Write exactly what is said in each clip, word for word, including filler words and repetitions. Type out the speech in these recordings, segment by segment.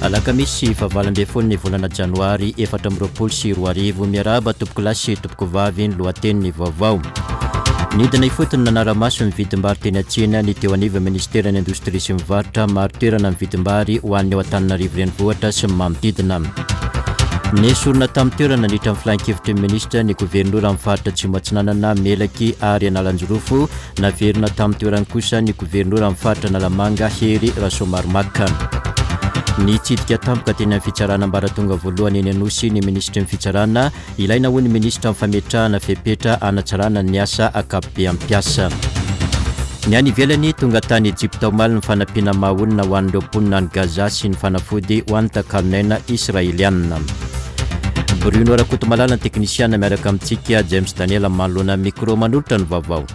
Alakamisy fahavalo ambin'ny folo ny volana janoary efatra amby roapolo sy roa arivo. Miarahaba tompokolahy sy tompokovavy, ny lohatenin'ny vaovao. Nidina ifotony nanara-maso ny vidim-bary teny an-tsena ny teo anivon'ny ministeran'ny indostria sy ny varotra. Maro toerana ny vidim-bary ho an'ny ao Antananarivo renivohitra sy ny manodidina. Nesorina tamin'ny toerana nandritra ny filan-kevitry ny minisitra ny governora amin'ny faritra Atsimo Atsinanana, Melaky ary Analanjirofo. Naverina tamin'ny toerany kosa ny governora amin'ny faritra Analamanga, Hery Rasoamaromaka. Nitsidika tampoka teny amin'ny fitsarana ambaratonga voalohany eny Anosy ny minisitry ny fitsarana. Ilaina hoy ny minisitra amin'ny fametrahana fepetra hanatsarana ny asa ankapobean'ny mpiasa. Ny any ivelany, tonga tany Ejipta omaly ny fanampiana maha olona ho an'ireo mponina any Gaza sy ny fanafody ho an'ny takalon'aina israelianina. Bruno Rakotomalala ny teknisiana miaraka amintsika, James Daniel manoloana micro manolotra ny vaovao.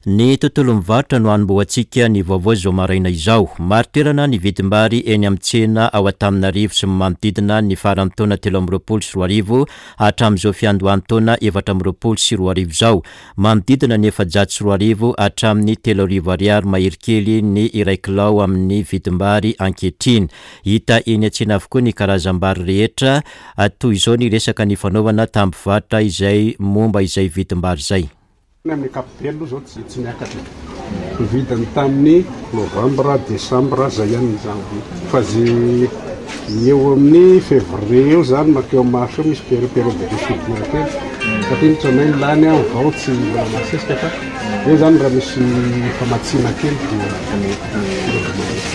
Ny tontolo mivarotra no hanombohantsika ny vaovao izao maraina izao. Maro toerana ny vidim-bary eny amin'ny tsena ao Antananarivo sy ny manodidina ny faran'ny taona telo amby roapolo sy roa arivo hatramin'izao fiandohan'ny taona efatra amby roapolo sy roa arivo izao. Manodidina ny efajato sy roa arivo hatramin'ny telo arivo ariary mahery kely ny iray kilao amin'ny vidim-bary ankehitriny. Hita eny an-tsena avokoa ny karazam-bary rehetra. Toy izao ny resaka nifanaovana tamin'ny mpivarotra izay momba izay vidim-bary izay. Amin'ny ankapobeny aloha izao tsy tsy miakatra. Ny vidiny tamin'ny novambra, desambra zay ihany ny janvier. Fa zay eo amin'ny février eo zany mankeo amin'ny mars eo misy période période de soudure kely. Satria ny tranainy lany an vao tsy mbola masesika fa eo zany raha misy famatsiana kely dia mety.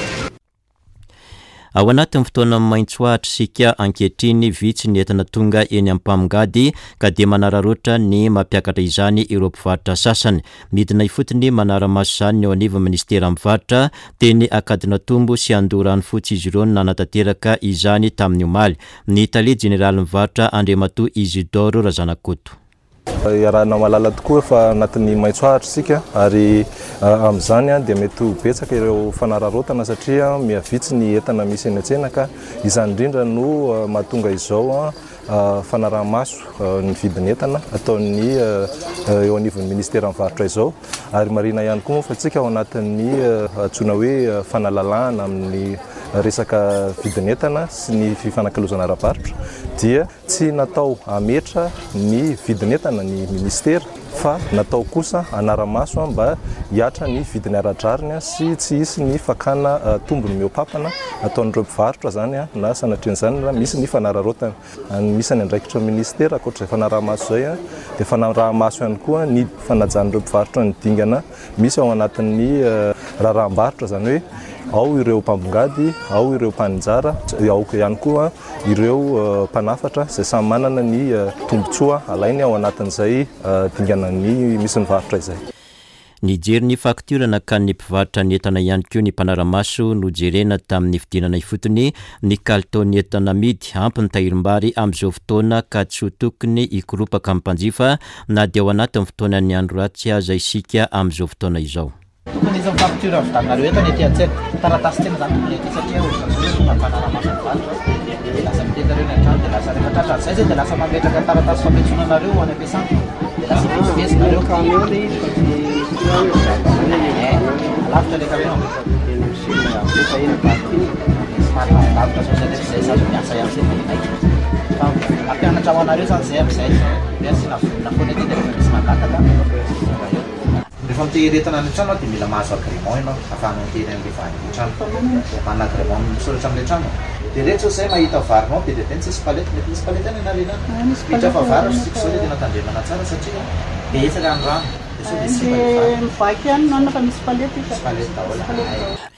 Ao anatin'ny fotoana maitso ahitra isika ankehitriny, vitsy ny entana tonga eny amin'ny mpamongady ka dia manararaotra ny mampiakatra izany ireo mpivarotra sasany. Midina ifotony manara-maso izany ny eo anivon'ny ministeran'ny varotra. Teny Ankadinatombo sy Andoharanofotsy izy ireo no nanatanteraka izany tamin'ny omaly. Ny tale jeneralin'ny varotra Andriamatoa Isidore Razanakoto. Iarahana mahalala tokoa fa anatin'ny maitso ahitra isika ary amin'izany dia mety ho betsaka ireo fanararaotana satria mihavitsy ny entana misy eny an-tsena ka izany indrindra no mahatonga izao fanaraha-maso ny vidin'entana ataon'ny eo anivon'ny ministeran'ny varotra izao. Ary marihina ihany koa moa fa tsika ao anatin'ny antsoina hoe fanalalahana amin'ny resaka vidin'entana sy ny fifanakalozana ara-barotra dia tsy natao hametra ny vidin'entana ny ministera fa natao kosa hanara-maso mba hiatra ny vidiny ara-drariny sy tsy hisy ny fakana tombony mihoa-pampana ataon'ireo mpivarotra zany na sanatrian'izany na misy ny fanararaotana. Anisan'ny andraikitra ny ministera ankoatra izay fanaraha-maso izay dia fanaraha-maso ihany koa ny fanajan'ireo mpivarotra ny dingana misy ao anatin'ny raharaham-barotra, zany hoe ao ireo mpambongady, ao ireo mpaninjara, ao ihany koa ireo mpanafatra izay samy manana ny tombontsoa alainy ao anatin'izay dingana ny misy ny varotra izay. Nijery ny faktiora nakan'ny mpivarotra ny entana ihany koa ny mpanara-maso nojerena tamin'ny fidinana ifotony ny kalitaon'ny entana amidy. Ampy ny tahirim-bary amin'izao fotoana ka tsy ho tokony hikoropaka amin'ny mpanjifa na dia ao anatin'ny fotoanan'ny andro ratsy aza isika amin'izao fotoana izao. Tokony hisy ny faktiora vitanareo entana ety an-tsena. Taratasy tsena izany tokony ety satria ohatran'izao hoe tonga mpanara-maso ny varotra dia lasa mitety nareo ny an-trano dia lasa rehefa tratran'izay zay dia lasa mametraka taratasy fampiantsoana anareo ho any am-piasana dia lasa mivezivezy nareo. Camion le izy fa tsy Eh, lavitra le camion. Eny amin'ny sud alefa eny parking. Somary lavidavitra zao zay nefa zay sady miasa ihany zay dia maika. Fa mampianatra ho anareo zany zay amin'izay hoe asiana vonona foana ety dia rehefa misy mangataka tonga eo. Rehefa mitehiry entana any an-trano dia mila mahazo agrément ianao ahafahanao mitehiry an'ilay vary any an-trano. Manana agrément misoratra amin'ilay trano. Dia ireto zao izay mahita varinao be dia be ny tsisy palette, mety misy palette any ianareo any. Miditra fa vary ry tsika izao dia tena tandremana tsara satria betsaka ny rano dia sao dia simba ilay vary. Mivaky ihany no fa misy palette. Misy palette daholo. Ay.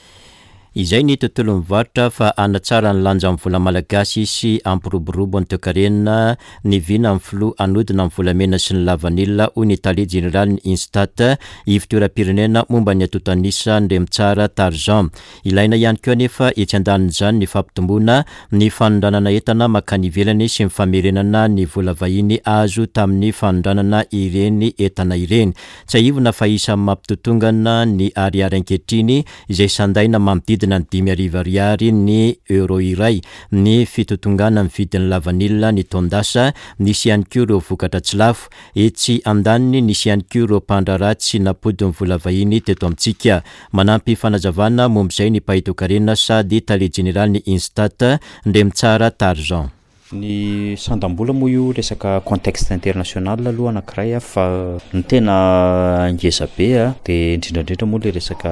Izay ny tontolon'ny varotra fa hanatsara ny lanjan'ny vola malagasy sy hampiroborobo ny toekarena ny vina amin'ny filoha hanodina ny volamena sy ny lavanila, hoy ny tale jeneralin'ny Instat, ivontoeram-pirenena momba ny antontan'isa Ndremitsara Tarzan. Ilaina ihany koa anefa etsy andanin'izany ny fampitomboana ny fanondranana entana mankany ivelany sy ny famerenana ny vola vahiny azo tamin'ny fanondranana ireny entana ireny. Tsiahivina fa isan'ny mampitotongana ny ariary ankehitriny izay sandaina manodidina Manodidina ny dimy arivo ariary ny euro iray ny fitotongana ny vidin'ny lavanila ny taon-dasa. Nisy ihany koa ireo vokatra tsy lafo. Etsy andaniny, nisy ihany koa ireo mpandraharaha tsy nampody ny vola vahiny teto amintsika. Manampy fanazavana momba izay ny mpahay toekarena sady tale jeneraly ny Instat, Ndremitsara Tarzan. Ny sandam-bola moa io resaka contexte international aloha anankiray a, fa ny tena ngeza be a dia indrindrandrindra moa le resaka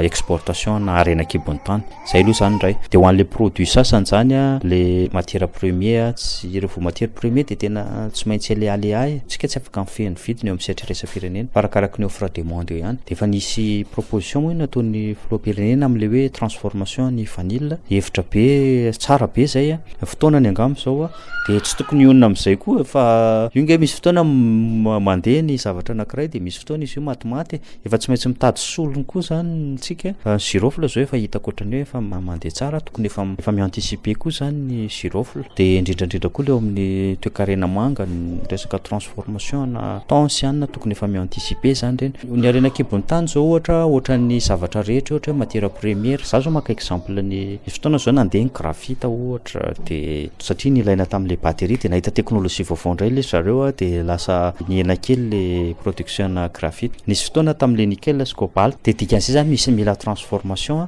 exportation na harena an-kibon'ny tany, zay aloha zany indray. Dia ho an'le produit sasany zany a, le matière première, tsy rehefa matière première dia tena tsy maintsy alealea e, tsika tsy afaka mifehy ny vidiny eo amin'ny sehatra iraisam-pirenena fa arakaraky ny offre demande eo ihany. Dia efa nisy proposition moa io nataon'ny filoham-pirenena amin'le hoe transformation ny vanille, hevitra be tsara be zay a, fotoanany angamba zao a, dia tsy tokony hionona amin'izay koa fa io nge misy fotoana mandeha ny zavatra anankiray dia misy fotoana izy io matimaty, efa tsy maintsy mitady solony koa zany tsika. Ny girofle zao efa hitako ohatran'ny hoe efa mandeha tsara, tokony efa efa mi-anticiper koa zany ny girofle. Dia indrindrandrindra koa le eo amin'ny toekarena manga ny resaka transformation na thon sy anona tokony efa mi-anticiper zany ireny. Ny harena an-kibon'ny tany zao ohatra ohatran'ny zavatra rehetra ohatra hoe matière première, za zao maka exemple ny fotoana zao nandeha ny graphite ohatra, dia satria nilaina tamin'le batterie dia nahita teknôlôjia vaovao indray le zareo a, dia lasa nihena kely le production na graphite. Nisy fotoana tamin'le nickel sy cobalt, dia dikan'izay zany misy mila transformation.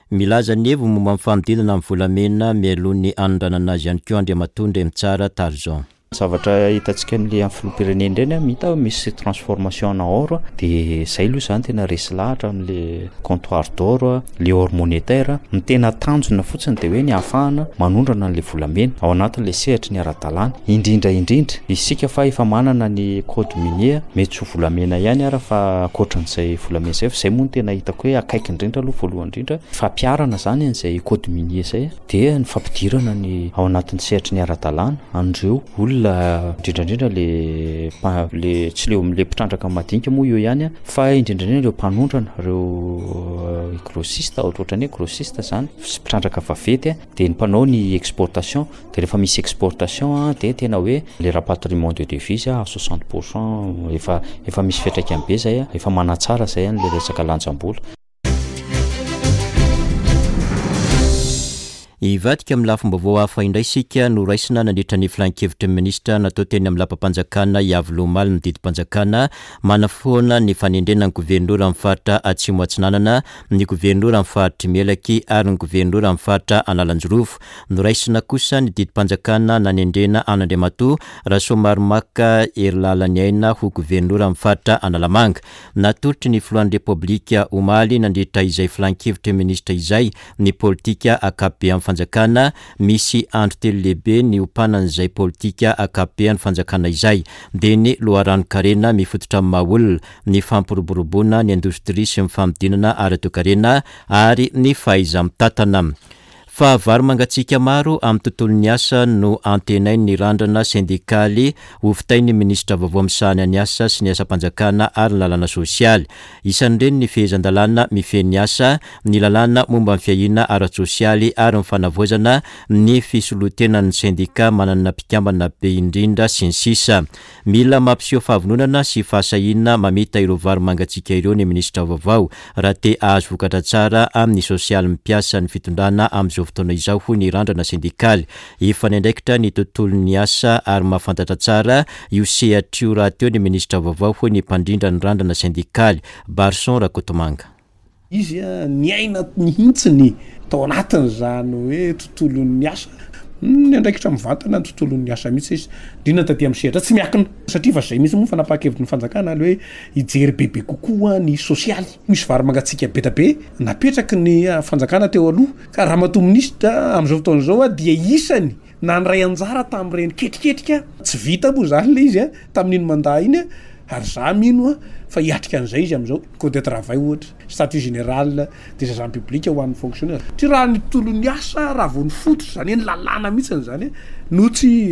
Milaza ny heviny momba ny fanodinana ny volamena mialoha ny hanondranana azy ihany koa Andriamatoa Ndremitsara Tarzan. Zavatra hitantsika amin'le amin'ny filoham-pirenena ireny a, hita misy transformation na or, dia zay aloha zany tena resy lahatra amin'le comptoir d'or, le or monétaire. Ny tena tanjona fotsiny dia hoe ny ahafahana manondrana an'le volamena ao anatin'le sehatry ny ara-dalàna, indrindra indrindra isika fa efa manana ny code minier, mety tsy ho volamena ihany ara fa ankoatran'izay volamena izay, fa izay moa no tena hitako hoe akaiky indrindra aloha voalohany indrindra fampiharana zany an'izay code minier izay, dia ny fampidirana ny ao anatin'ny sehatry ny ara-dalàna an'ireo olona indrindrandrindra le mpa-, le tsy le le mpitrandraka madinika moa io ihany a, fa indrindrandrindra ireo mpanondrana, ireo grossiste, ohatrohatran'ny hoe grossiste zany sy mpitrandraka vaventy a, dia ny mpanao ny exportation. Dia rehefa misy exportation a, dia tena hoe le rapatriement de devise a soixante pour cent efa efa misy fiantraikany be zay a, efa manatsara zay an'le resaka lanjam-bola. Hivadika amin'ny lafim-baovao hafa indray isika no raisina nandritra ny filan-kevitry ny minisitra natao teny amin'ny lapam-panjakana Iavoloha omaly ny didim-panjakana manafoana ny fanendrena ny governora amin'ny faritra Atsimo Atsinanana, ny governora amin'ny faritry Melaky ary ny governora amin'ny faritra Analanjirofo. Noraisina kosa ny didim-panjakana nanendrena an'Andriamatoa Rasoamaromaka Herilalaniaina ho governora amin'ny faritra Analamanga. Natolotry ny filohan'ny Repoblika omaly nandritra izay filan-kevitry ny minisitra izay ny politika ankapoben'ny fanjakana. Misy andro telo lehibe ny ompanan'izay politika ankapoben'ny fanjakana izay, dia ny loharanon-karena mifototra amin'ny maha olona, ny fampiroboroboana ny indostria sy ny fanodinana ara-toekarena ary ny fahaiza-mitantana. Fa vary mangatsiaka maro amin'ny tontolon'ny asa no antenain'ny randrana sendikaly hovitain'ny minisitra vaovao misahana ny asa sy ny asam-panjakana ary ny lalàna sosialy. Isan'ireny ny fehezan-dalàna mifehy ny asa, ny lalàna momba ny fiahiana ara-tsosialy ary ny fanavaozana ny fisolotenan'ny sendika manana mpikambana be indrindra sy ny sisa. Mila mampiseho fahavononana sy fahasahiana mamita ireo vary mangatsiaka ireo ny minisitra vaovao raha te hahazo vokatra tsara amin'ny sosialy mpiasa ny fitondrana amin'izao fotoana izao, hoy ny randrana sendikaly. Efa niandraikitra ny tontolon'ny asa ary mahafantatra tsara io sehatra io rahateo ny minisitra vaovao, hoy ny mpandrindra ny randrana sendikaly Barson Rakotomanga. Izy a niaina mihitsy tao anatin'izany hoe tontolon'ny asa, niandraikitra mivantana ny tontolon'ny asa mihitsy izy, indrindra taty amin'ny sehatra tsy miankina, satria fa zay mihitsy moa fanapahan-kevitry ny fanjakana le hoe hijery bebe kokoa ny sosialy. Misy vary mangatsiaka be dia be napetraky ny fanjakana teo aloha, ka ramatoa minisitra amin'izao fotoana izao a dia isany nandray anjara tamin'ireny ketriketrika tsy vita moa zany le izy a tamin'iny mandat iny a, ary za mino a fa hiatrika an'izay izy amin'izao. Code de travail ohatra, statut général des agents publics ho an'ny fonctionnaire. Tsy raha ny tontolon'ny asa raha vao ny fototra zany hoe ny lalàna mihitsy zany no tsy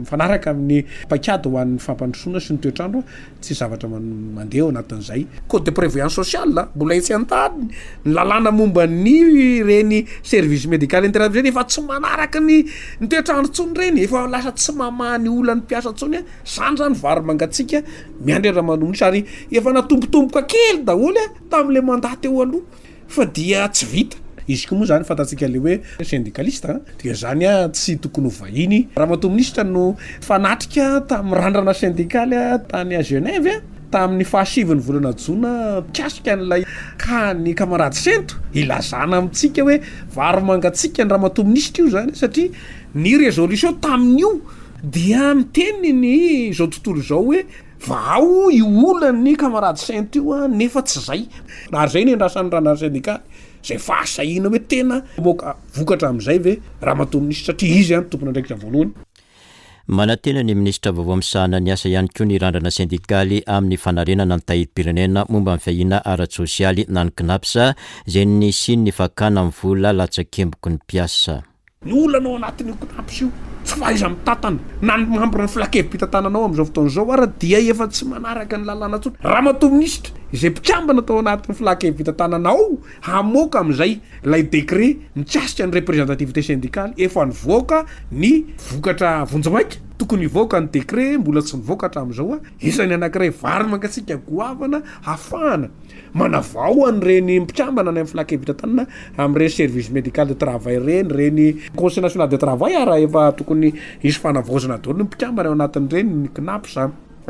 mifanaraka amin'ny paikady ho an'ny fampandrosoana sy ny toetrandro, tsy zavatra mandeha ao anatin'izay. Code de prévoyance sociale mbola etsy an-tany, ny lalàna momba ny ireny service médical intermédiaire efa tsy manaraka ny ny toetrandro intsony ireny, efa lasa tsy mamaha ny olan'ny mpiasa intsony. Zany zany vary mangatsiaka miandry raha manomboka ary efa natombotomboka kely daholo a tamin'le mandat teo aloha, fa dia tsy vita. Izy koa moa zany fantatsika le hoe syndicaliste dia zany a tsy tokony ho vahiny. Ramatoa minisitra no fanatrika tamin'ny randrana syndikaly tany à Genève tamin'ny fahasiviny volana jona mikasika an'ilay ka ny camarade Sento ilazana amintsika hoe vary mangatsiaka ny ramatoa minisitra io zany, satria ny résolution tamin'io dia miteny ny zao tontolo izao hoe vao io olan'ny camarade Sento io a nefa tsy zay. Ary zay ny andrasan'ny randrana syndikaly zay fahasahiana hoe tena moka vokatra amin'izay ve ramatoa minisitra, satria izy a tompon'andraikitra voalohany. Manantena ny minisitra vaovao misahana ny asa ihany koa ny randrana syndikaly amin'ny fanarenana ny tahirim-pirenena momba ny fiahiana ara-tsosialy na ny CNAPS izay nisian'ny fakana ny vola latsakemboky ny mpiasa. Ny olana ao anatin'io CNAPS io tsy fahaiza mitatana na ny membre ny filan-kevi-pitantanana ao amin'izao fotoana izao ara dia efa tsy manaraka ny lalàna intsony. Ramatoa minisitra izay mpikambana tao anatin'ny filan-kevi-pitantanana ao hamoaka amin'izay ilay décret mikasika ny représentativité syndicale efa nivoaka ny vokatra vonjimaika, tokony hivoaka ny décret mbola tsy nivoaka hatramin'izao a. Isan'ny anankiray vary mangatsiaka goavana hafahana manavao an'ireny mpikambana any amin'ny filan-kevi-pitantanana amin'ireny service médical de travail ireny, ireny conseil national de travail ara efa tokony hisy fanavaozana daholo ny mpikambana ao anatin'ireny, ny CNAPS,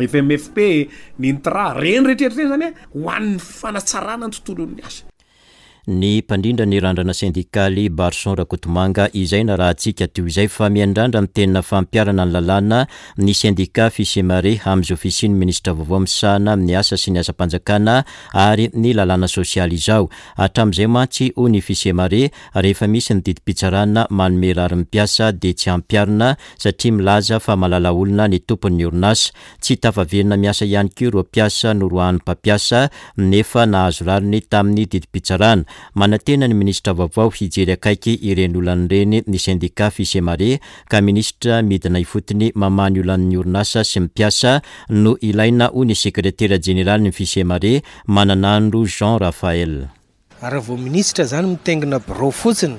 F M F P, ny INTRA, ireny rehetrarehetra ireny zany a ho an'ny fanatsarana ny tontolon'ny asa. Ny mpandrindra ny randrana syndikaly Barson Rakotomanga izay narahantsika teo izay fa miandrandra ny tena fampiharana ny lalàna ny sendika Fisemare amin'izao fisian'ny minisitra vaovao misahana ny asa sy ny asam-panjakana ary ny lalàna sosialy izao. Hatramin'izay mantsy hoy ny Fisemare rehefa misy ny didim-pitsarana manome rariny mpiasa dia tsy ampiharina satria milaza fa malala olona ny tompon'ny orinasa. Tsy tafaverina miasa ihany koa ireo mpiasa noroahan'ny mpampiasa nefa nahazo rariny tamin'ny didim-pitsarana. Manantena ny minisitra vaovao hijery akaiky ireny olana ireny ny sendika Fisemare ka minisitra midina ifotony mamaha ny olan'ny orinasa sy ny mpiasa no ilaina hoy ny sekretera jeneraly ny Fisemare Mananandro Jean Raphaël. Raha vao minisitra zany mitaingina birao fotsiny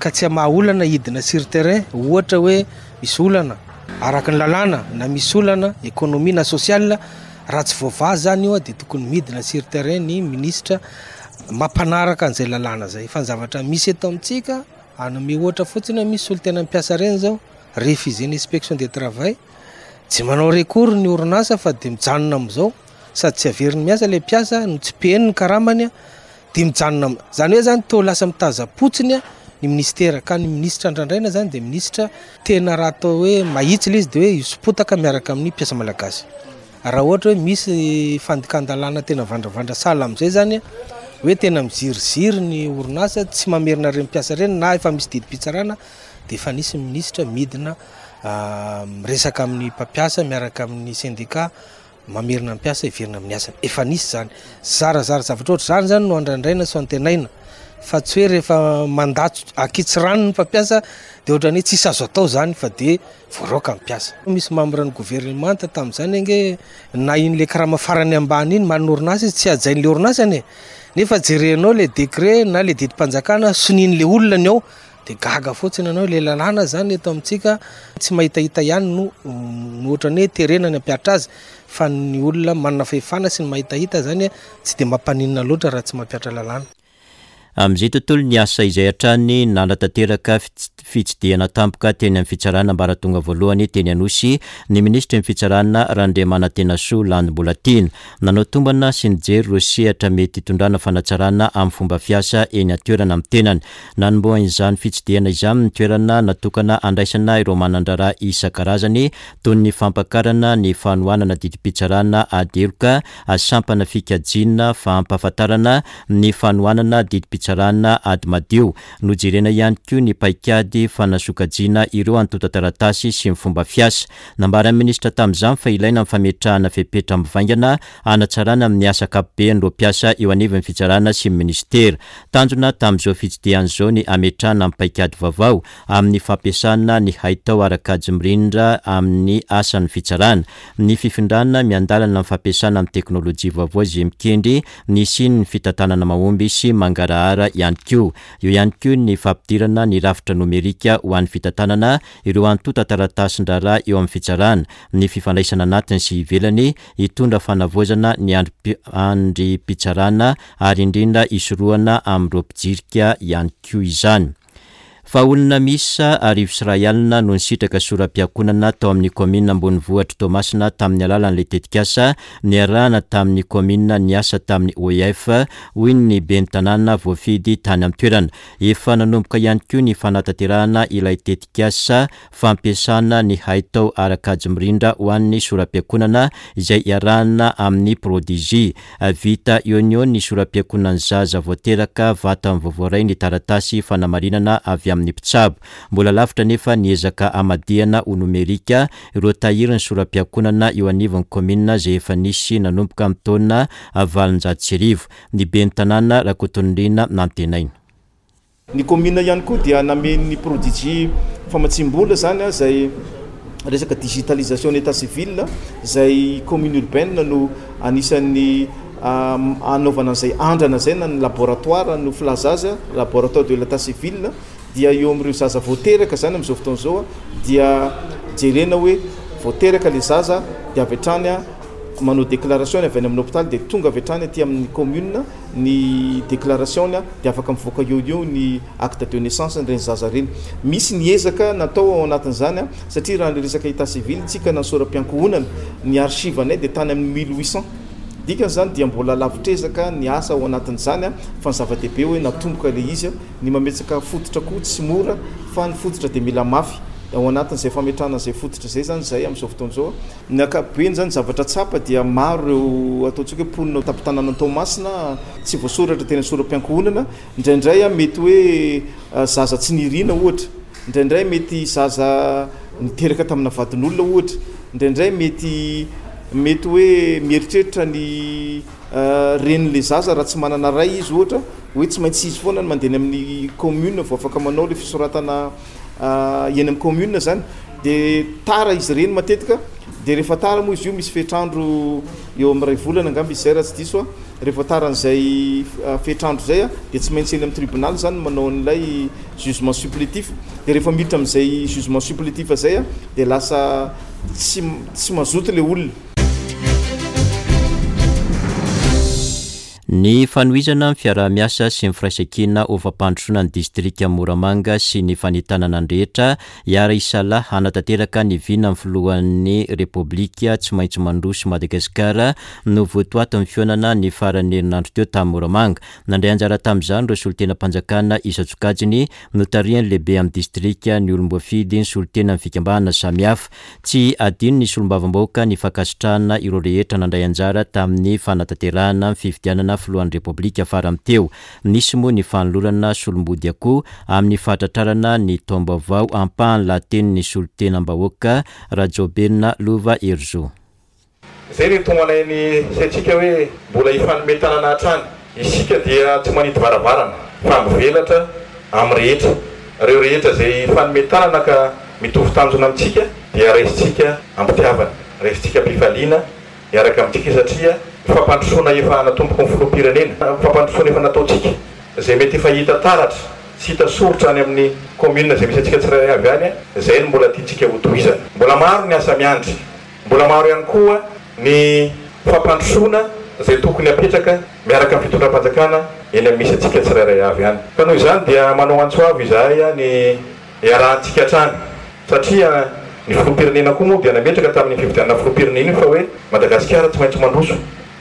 ka tsy hamaha olana hidina sur terrain, ohatra hoe misy olana araka ny lalàna na misy olana économie na sociale, raha tsy voavaha zany io dia tokony midina sur terrain ny minisitra mampanaraka an'izay lalàna zay. Fa ny zavatra misy eto amintsika, hanome ohatra fotsiny hoe misy solontena mpiasa ireny zao, refusé ny inspection de travail, tsy manao recours ny orinasa fa dia mijanona amin'izao, sady tsy averiny miasa ilay mpiasa no tsy pehiny ny karamany dia mijanona am-, zany hoe zany toa lasa mitaza-potsiny a ny ministera, ka ny minisitra andrandraina zany dia minisitra tena raha atao hoe mahitsy ilay izy dia hoe hisopotaka miaraka amin'ny mpiasa malagasy. Raha ohatra hoe misy fandikan-dalàna tena vandravandra sahala amin'izay zany hoe tena miziriziry ny orinasa tsy mamerina ireny mpiasa ireny na efa misy didim-pitsarana dia efa nisy minisitra midina, ah, miresaka amin'ny mpampiasa miaraka amin'ny sendika mamerina ny mpiasa hiverina amin'ny asany. Efa nisy zany. Zarazara zavatra ohatr'izany zany no andrandraina sy antenaina fa tsy hoe rehefa mandatso akitsirano ny mpampiasa dia ohatran'ny hoe tsisy azo atao zany fa dia voaroaka ny mpiasa. Misy membre ny gouvernement tamin'izany ange na iny le karama farany ambany iny manana orinasa izy tsy hajain'le orinasa anie. Nefa jerenao le décret na le didim-panjakana sonian'le olona ny ao dia gaga fotsiny ianao. Le lalàna zany eto amintsika tsy mahitahita ihany no, no ohatran'ny hoe terena ny hampiatra azy fa ny olona manana fahefana sy ny mahitahita zany tsy dia mampaninona loatra raha tsy mampiatra lalàna. Amin'izay tontolo ny asa izay hatrany nanatanteraka fits-, fitsidihana tampoka teny amin'ny fitsarana ambaratonga voalohany teny Anosy ny minisitry ny fitsarana Randriamanantenasoa Landy Mbolatiana. Nanao tombana sy nijery ireo sehatra mety hitondrana fanatsarana amin'ny fomba fiasa eny an-toerana amin'ny tenany. Nanombohan'izany fitsidihana izany ny toerana natokana handraisana ireo manan-draharaha isan-karazany toy ny fampakarana ny fanohanana didim-pitsarana ady heloka, sampana fikajiana, fampahafantarana ny fanohanana didim-pitsarana ady madio. Nojerena ihany koa ny paikady fanasokajiana ireo antontan-taratasy sy ny fomba fiasa. Nambaran'ny minisitra tamin'izany fa ilaina ny fametrahana fepetra mivaingana hanatsarana amin'ny asa ankapoben'ireo mpiasa eo anivon'ny fitsarana sy ny minisitera. Tanjona tamin'izao fitsidihana izao ny hametrahana ny paikady vaovao amin'ny fampiasana ny haitao ara-kajy mirindra amin'ny asan'ny fitsarana, ny fifindrana miandalana amin'ny fampiasana ny teknôlôjia vaovao izay mikendry ny hisian'ny fitantanana mahomby sy mangarahara Madagasikara ihany koa. Eo ihany koa ny fampidirana ny rafitra nomerika ho an'ny fitantanana ireo antontan-taratasin-draharaha eo amin'ny fitsarana, ny fifandraisana anatiny sy ivelany, hitondra fanavaozana ny andrim-pitsarana ary indrindra hisorohana amin'ireo mpijirika ihany koa izany. Fa olona miisa arivo sy iray alina no nisitraka sora-piankohonana tao amin'ny kaominina ambonivohitr'i Toamasina tamin'ny alalan'ilay tetikasa niarahana tamin'ny kaominina niasa tamin'ny O E F, hoy ny ben'ny tanàna voafidy tany an-toerana. Efa nanomboka ihany koa ny fanatanterahana ilay tetikasa fampiasana ny haitao ara-kajy mirindra ho an'ny sora-piankohonana izay iarahana amin'ny Prodigy. Vita eo no eo ny sora-piankohonan'ny zaza voateraka vatany vaovao iray ny taratasy fanamarinana avy amin'ny mpitsabo. Mbola lavitra nefa ny ezaka hamadihana ho nomerika ireo tahirin'ny sora-piankohonana eo anivon'ny kaominina izay efa nisy nanomboka amin'ny taona valonjato sy arivo. Ny ben'ny tanàna Rakotonirina Nantenaina. Ny kaominina ihany koa dia namen'ny Prodigy famatsim-bola zany a, izay resaka digitalisation ny état civil, izay commune urbaine no anisan'ny anaovana an'izay andrana izay na ny laboratoire no filaza azy, laboratoire de l'état civil, dia eo amin'ireo zaza voateraka zany amin'izao fotoana izao dia jerena hoe voateraka le zaza dia avy hatrany a manao déclaration avy any amin'ny hôpital dia tonga avy hatrany aty amin'ny commune ny déclaration dia afaka mivoaka eo eo ny acte de naissance ireny zaza ireny. Misy ny ezaka natao ao anatin'izany a, satria raha ny resaka état civil tsika na sora-piankohonana ny archive anay dia tany amin'ny mille huit cents. Dikan'izany dia mbola lavitr'ezaka ny asa ao anatin'izany a, fa ny zava-dehibe hoe natomboka ilay izy a, ny mametsaka fototra koa tsy mora fa ny fototra dia mila mafy. Ao anatin'izay fametrahana izay fototra izay zany izay amin'izao fotoana izao. Ny ankapobeny zany zavatra tsapa dia maro ireo ataontsika hoe mponina tampon-tanàna Toamasina tsy voasoratra tena sora-piankohonana. Indraindray a mety hoe zaza tsy nirina ohatra, indraindray mety zaza niteraka tamina vadin'olona ohatra, indraindray mety mety hoe mieritreritra ny renin'ilay zaza raha tsy manana ray izy ohatra, hoe tsy maintsy izy foana no mandeha any amin'ny commune vao afaka manao ilay fisoratana eny amin'ny commune zany. Dia tara izy ireny matetika, dia rehefa tara moa izy io misy fetrandro eo amin'ny iray volana angamba izy izay raha tsy diso a. Rehefa taran'izay fetrandro izay a, dia tsy maintsy eny amin'ny tribunal zany manao an'ilay jugement supplétif. Dia rehefa miditra amin'izay jugement supplétif izay a, dia lasa tsy, tsy mazoto ilay olona. Ny fanohizana ny fiaraha-miasa sy ny firaisankina ho fampandrosoana ny distrika Moramanga sy ny fanentanana ny rehetra hiara-hisalahy hanatanteraka ny vinan'ny filohan'ny Repoblika tsy maintsy mandroso Madagasikara no votoatin'ny fihaonana ny faran'ny herinandro teo tamin'ny Moramanga. Nandray anjara tamin'izany ireo solontenam-panjakana isan-tsokajiny notarihan'ny lehibe amin'ny distrika, ny olom-boafidy, ny solontenan'ny fikambanana samihafa. Tsy adino ny solombavambahoaka ny fankasitrahana ireo rehetra nandray anjara tamin'ny fanatanterahana ny fifidianana filohan'ny Repoblika farany teo. Nisy moa ny fanolorana solombody akoho amin'ny fahatratrarana ny taom-baovao ampahany lahatenin'ny solontenam-bahoaka Rajaobelina Lova Herizo. Izay ny tomanay ny saintsika hoe mbola hifanome tanana hatrany. Isika dia tsy manidy varavarana fa mivelatra amin'ny rehetra. Ireo rehetra izay hifanome tanana ka mitovy tanjona amintsika dia raisintsika am-pitiavana, raisintsika am-pifaliana miaraka amintsika satria fampandrosoana efa natomboky ny filoham-pirenena, fampandrosoana efa nataontsika izay mety efa hita taratra sy hita soritra any amin'ny commune izay misy antsika tsirairay avy any, izay no mbola tiantsika hotohizana. Mbola maro ny asa miandry, mbola maro ihany koa ny fampandrosoana izay tokony hapetraka miaraka amin'ny fitondram-panjakana eny amin'ny misy antsika tsirairay avy any. Ka noho izany dia manao antso avo izahay ny iarahantsika hatrany satria ny filoham-pirenena koa moa dia nametraka tamin'ny fifidianana filoham-pirenena io fa hoe Madagasikara tsy maintsy mandroso.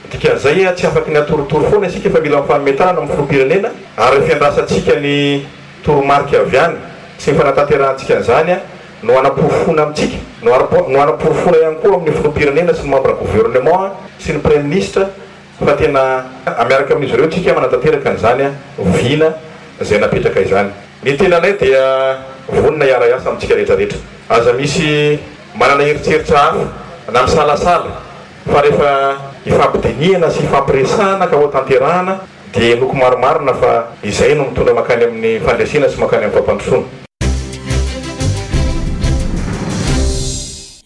Dikan'izay tsy afaky ny atorotoro foana isika fa mila mifanome tanana amin'ny filoham-pirenena ary fiandrasantsika ny toromarika avy any sy ny fanatanterahantsika an'izany no hanaporofoana amintsika, no hanaporofoana ihany koa amin'ny filoham-pirenena sy ny membre gouvernement sy ny premier ministre fa tena miaraka amin'izy ireo tsika manatanteraka an'izany vina izay napetraka izany. Ny tenanay dia vonona hiara-hiasa amintsika rehetrarehetra. Aza misy manana eritreritra hafa na misalasala fa rehefa hifampidinihana sy hifampiresahana ka ho tanterahana dia henoko marimarina fa izay no mitondra mankany amin'ny fandresena sy mankany amin'ny fampandrosoana.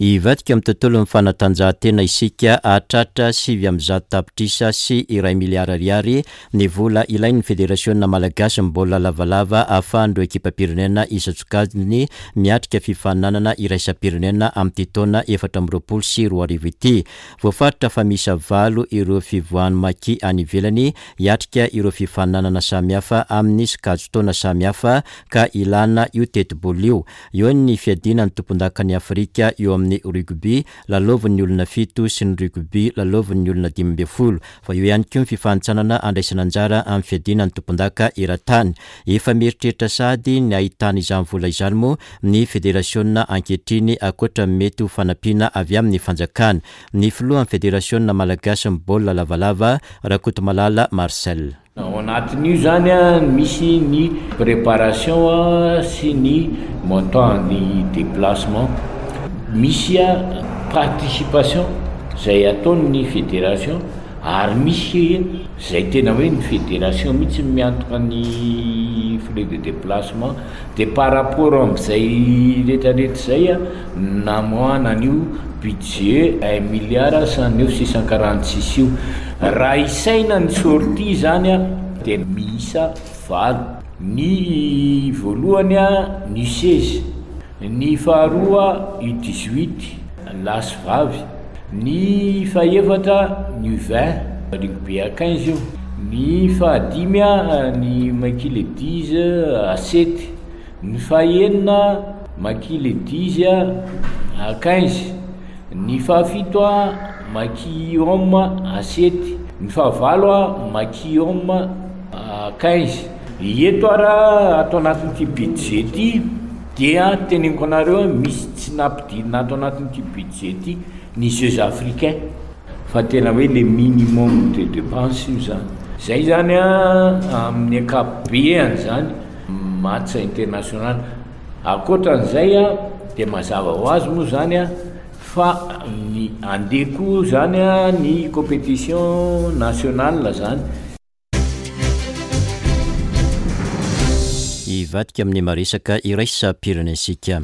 Hivadika amin'ny tontolon'ny fanatanjahantena isika, hahatratra sivy amby zato tapitrisa sy iray miliara ariary ny vola ilain'ny Federasiona malagasin'ny baolina lavalava ahafahan'ireo ekipam-pirenena isan-tsokajiny miatrika fifaninanana iraisam-pirenena amin'ity taona efatra amby roapolo sy roa arivo ity. Voafaritra fa miisa valo ireo fivoahan'ny Maki any ivelany hiatrika ireo fifaninanana samihafa amin'ny sokajin-taona samihafa ka ilana io tetibola io. Eo ny fiadiana ny tompondakan'i Afrika eo amin'ny rugby lalaovin'ny olona fito sy ny rugby lalaovin'ny olona dimy ambin'ny folo, fa eo ihany koa ny fifanintsanana andraisana anjara amin'ny fiadiana ny tompondaka eran-tany. Efa mieritreritra sahady ny ahitana izany vola izany moa ny federasiona ankehitriny, ankoatra ny mety ho fanampiana avy amin'ny fanjakana. Ny filohan'ny federasiona malagasin'ny baolina lavalava, Rakotomalala Marcel. Ao anatin'io zany a misy ny préparation sy ny montant ny déplacement, misy a participation zay ataon'ny fédération, ary misy zay tena hoe ny fédération mihitsy miantoka ny frais de déplacement. De par rapport am'izay rehetrarehetra zay a namoahana an'io budget un milliard cent neuf six cent quarante six io. Raha isaina ny sortie zany a de miisa valo. Ny voalohany a ny seize, ny faharoa U dix-huit lahy sy vavy, ny fahefatra ny U vingt rugby à quinze io, ny fahadimy a ny Maki Ladies à sept, ny fahenina Maki Ladies à quinze, ny fahafito a Maki Homme à sept, ny fahavalo a Maki Homme à quinze. Eto ara ato anatin'ity budget ity dia teneniko anareo misy tsy nampidirina ato anatin'ity budget ity ny Jeux africains, fa tena hoe le minimum de dépense io zany. Zay zany a amin'ny ankapobeany zany match international. Ankoatran'izay a de mazava ho azy moa zany a fa ny andeha koa zany a ny compétition nationale zany. Hivadika amin'ny maresaka iraisam-pirenentsika.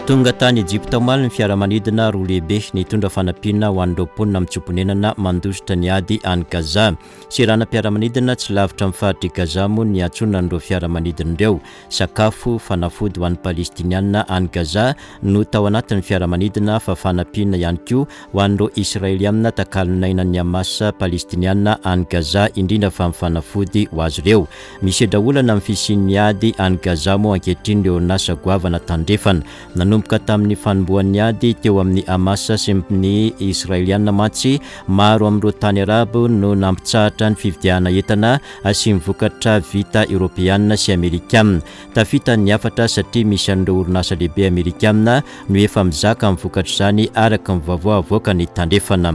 Tonga tany Ejipta omaly ny fiaramanidina roa lehibe nitondra fanampiana ho an'ireo mponina mitsoa-ponenana mandositra ny ady any Gaza. Seranam-piaramanidina tsy lavitra amin'ny faritr'i Gaza moa ny niantsonan'ireo fiaramanidina ireo. Sakafo, fanafody ho an'ny Palestiniana any Gaza no tao anatin'ny fiaramanidina, fa fanampiana ihany koa ho an'ireo Israeliana takalon'ainan'ny Hamas Palestiniana any Gaza, indrindra fa ny fanafody ho azy ireo. Misedra olana amin'ny fisian'ny ady any Gaza moa ankehitriny ireo orinasa goavana tandrefana. Nanomboka tamin'ny fanombohan'ny ady teo amin'ny Hamas sy ny Israeliana mantsy, maro amin'ireo tany arabo no nampitsahatra ny fividianana entana sy ny vokatra vita eoropeana sy amerikana. Tafita ny hafatra satria misy an'ireo orinasa lehibe amerikana no efa mizaka amin'ny vokatr'izany araka ny vaovao avoakan'ny tandrefana.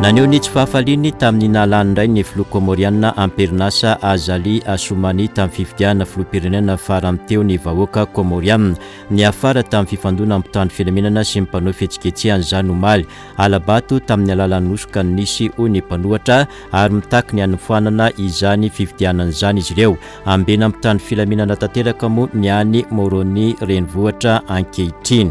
Naneho ny tsy fahafaliany tamin'ny nahalany indray ny filoha komoriana am-perinasa Azali Assoumani tamin'ny fifidianana filoham-pirenena farany teo ny vahoaka komoriana. Niafara tamin'ny fifandonana mpitandro filaminana sy ny mpanao fihetsiketsehana izany omaly. Alabato tamin'ny alalan'ny hosoka ny nisy hoy ny mpanohitra, ary mitaky ny hanofanana izany fifidianana izany izy ireo. Ambena mpitandro filaminana tanteraka moa ny any Moroni renivohitra ankehitriny.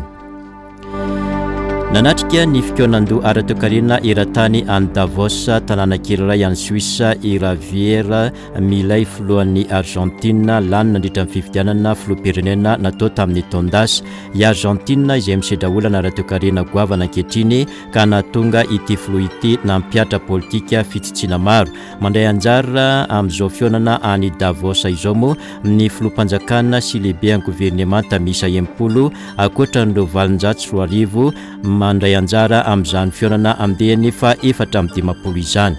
Nanatrika ny fikaonandoha ara-toekarena eran-tany any Davos, tanàna kely iray any Suisse, i Javier Milei, filohan'ny Argentine, lany nandritra ny fifidianana filoham-pirenena natao tamin'ny taon-dasa. I Argentine izay misedra olana ara-toekarena goavana ankehitriny ka nahatonga ity filoha ity nampihatra politika fitsitsiana maro. Mandray anjara amin'izao fihaonana any Davos izao moa ny filoham-panjakana sy lehiben'ny governemanta miisa enimpolo, ankoatra an'ireo valonjato sy roa arivo mandray anjara amin'izany fihaonana andiany fa efatra amby dimampolo izany.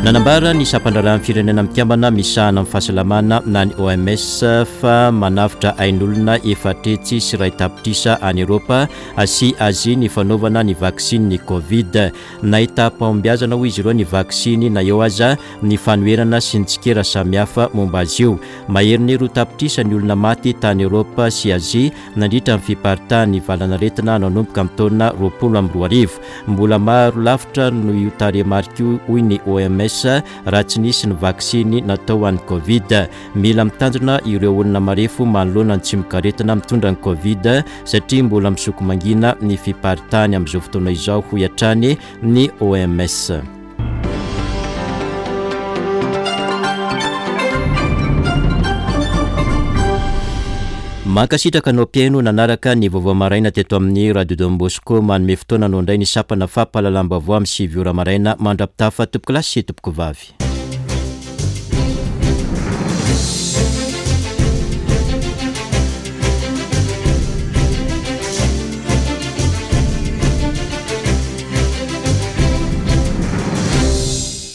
Nanambara ny sampan-draharahan'ny firenena mikambana misahana amin'ny fahasalamana na ny O M S fa manavotra ain'olona efatra hetsy sy iray tapitrisa any Eoropa sy Azia ny fanaovana ny vaksiny Covid. Nahita fahombiazana hoy izy ireo ny vaksiny na eo aza ny fanoherana sy ny tsikera samihafa momba azy io. Maherin'ny roa tapitrisa ny olona maty tany Eoropa sy Azia nandritra ny fiparitahan'ny valanaretina nanomboka amin'ny taona roapolo amby roa arivo. Mbola maro lavitra no io tarehimarika io hoy ny O M S O M S raha tsy nisy ny vaksiny natao ho an'ny Covid. Mila mitandrina ireo olona marefo manoloana ny tsimokaretina mitondra ny Covid satria mbola misoko mangina ny fiparitahany amin'izao fotoana izao, hoy hatrany ny O M S. Mankasitraka anao mpihaino nanaraka ny vaovao maraina teto amin'ny Radio Don Bosco. Manome fotoana anao indray ny sampana fampahalalam-baovao amin'ny sivy ora maraina. Mandra-pitafa, tompoko lahy sy tompoko vavy.